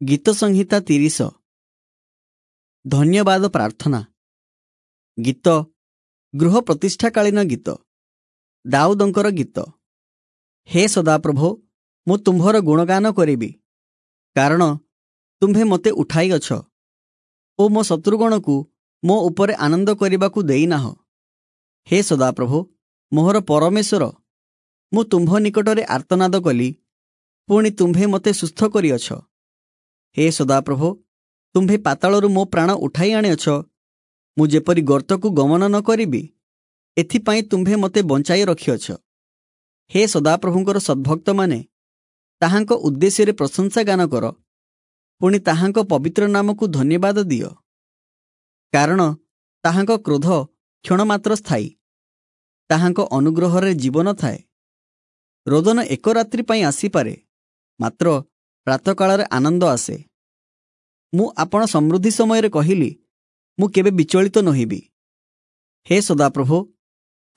ଗୀତ ସଂହିତା 30। ଧନ୍ୟବାଦ ପ୍ରାର୍ଥନା। ଗୀତ ଗୃହ ପ୍ରତିଷ୍ଠାକାଳୀନ ଗୀତ, ଦାଉଦଙ୍କର ଗୀତ। ହେ ସଦାପ୍ରଭୋ, ମୁଁ ତୁମ୍ଭର ଗୁଣଗାନ କରିବି, କାରଣ ତୁମ୍ଭେ ମୋତେ ଉଠାଇଅଛ ଓ ମୋ ଶତ୍ରୁଗଣକୁ ମୋ ଉପରେ ଆନନ୍ଦ କରିବାକୁ ଦେଇନାହ। ହେ ସଦାପ୍ରଭୋ, ମୋହର ପରମେଶ୍ୱର, ମୁଁ ତୁମ୍ଭ ନିକଟରେ ଆର୍ତ୍ତନାଦ କଲି, ପୁଣି ତୁମ୍ଭେ ମୋତେ ସୁସ୍ଥ କରିଅଛ। ହେ ସଦାପ୍ରଭୋ, ତୁମ୍ଭେ ପାତାଳରୁ ମୋ ପ୍ରାଣ ଉଠାଇ ଆଣିଅଛ, ମୁଁ ଯେପରି ଗର୍ତ୍ତକୁ ଗମନ ନ କରିବି, ଏଥିପାଇଁ ତୁମ୍ଭେ ମୋତେ ବଞ୍ଚାଇ ରଖିଅଛ। ହେ ସଦାପ୍ରଭୁଙ୍କର ସଦ୍ଭକ୍ତମାନେ, ତାହାଙ୍କ ଉଦ୍ଦେଶ୍ୟରେ ପ୍ରଶଂସା ଗାନ କର, ପୁଣି ତାହାଙ୍କ ପବିତ୍ର ନାମକୁ ଧନ୍ୟବାଦ ଦିଅ। କାରଣ ତାହାଙ୍କ କ୍ରୋଧ କ୍ଷଣମାତ୍ର ସ୍ଥାୟୀ, ତାହାଙ୍କ ଅନୁଗ୍ରହରେ ଜୀବନ ଥାଏ। ରୋଦନ ଏକ ରାତ୍ରି ପାଇଁ ଆସିପାରେ, ମାତ୍ର ପ୍ରାତଃକାଳରେ ଆନନ୍ଦ ଆସେ। ମୁଁ ଆପଣ ସମୃଦ୍ଧି ସମୟରେ କହିଲି, ମୁଁ କେବେ ବିଚଳିତ ନୋହିବି। ହେ ସଦାପ୍ରଭୋ,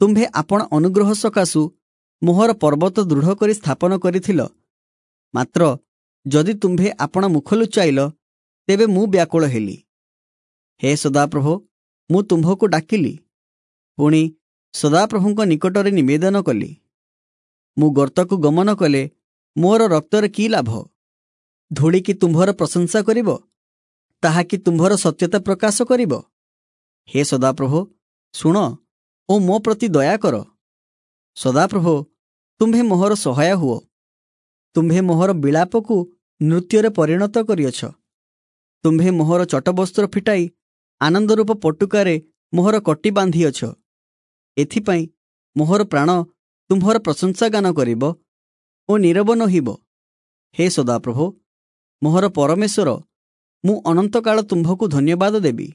ତୁମ୍ଭେ ଆପଣ ଅନୁଗ୍ରହ ସକାଶୁ ମୋହର ପର୍ବତ ଦୃଢ଼ କରି ସ୍ଥାପନ କରିଥିଲ, ମାତ୍ର ଯଦି ତୁମ୍ଭେ ଆପଣ ମୁଖ ଲୁଚାଇଲ, ତେବେ ମୁଁ ବ୍ୟାକୁଳ ହେଲି। ହେ ସଦାପ୍ରଭୋ, ମୁଁ ତୁମ୍ଭକୁ ଡାକିଲି, ପୁଣି ସଦାପ୍ରଭୁଙ୍କ ନିକଟରେ ନିବେଦନ କଲି। ମୁଁ ଗର୍ତ୍ତକୁ ଗମନ କଲେ ମୋର ରକ୍ତରେ କି ଲାଭ? ଧୂଳି କି ତୁମ୍ଭର ପ୍ରଶଂସା କରିବ? ତାହା କି ତୁମ୍ଭର ସତ୍ୟତା ପ୍ରକାଶ କରିବ? ହେ ସଦାପ୍ରଭୋ, ଶୁଣ ଓ ମୋ ପ୍ରତି ଦୟା କର। ସଦାପ୍ରଭୋ, ତୁମ୍ଭେ ମୋହର ସହାୟ ହୁଅ। ତୁମ୍ଭେ ମୋହର ବିଳାପକୁ ନୃତ୍ୟରେ ପରିଣତ କରିଅଛ। ତୁମ୍ଭେ ମୋହର ଚଟବସ୍ତ୍ର ଫିଟାଇ ଆନନ୍ଦରୂପ ପଟୁକାରେ ମୋହର କଟି ବାନ୍ଧିଅଛ। ଏଥିପାଇଁ ମୋହର ପ୍ରାଣ ତୁମ୍ଭର ପ୍ରଶଂସା ଗାନ କରିବ ଓ ନୀରବ ନୋହିବ। ହେ ସଦାପ୍ରଭୋ, ମୋହର ପରମେଶ୍ୱର, ମୁଁ ଅନନ୍ତକାଳ ତୁମ୍ଭକୁ ଧନ୍ୟବାଦ ଦେବି।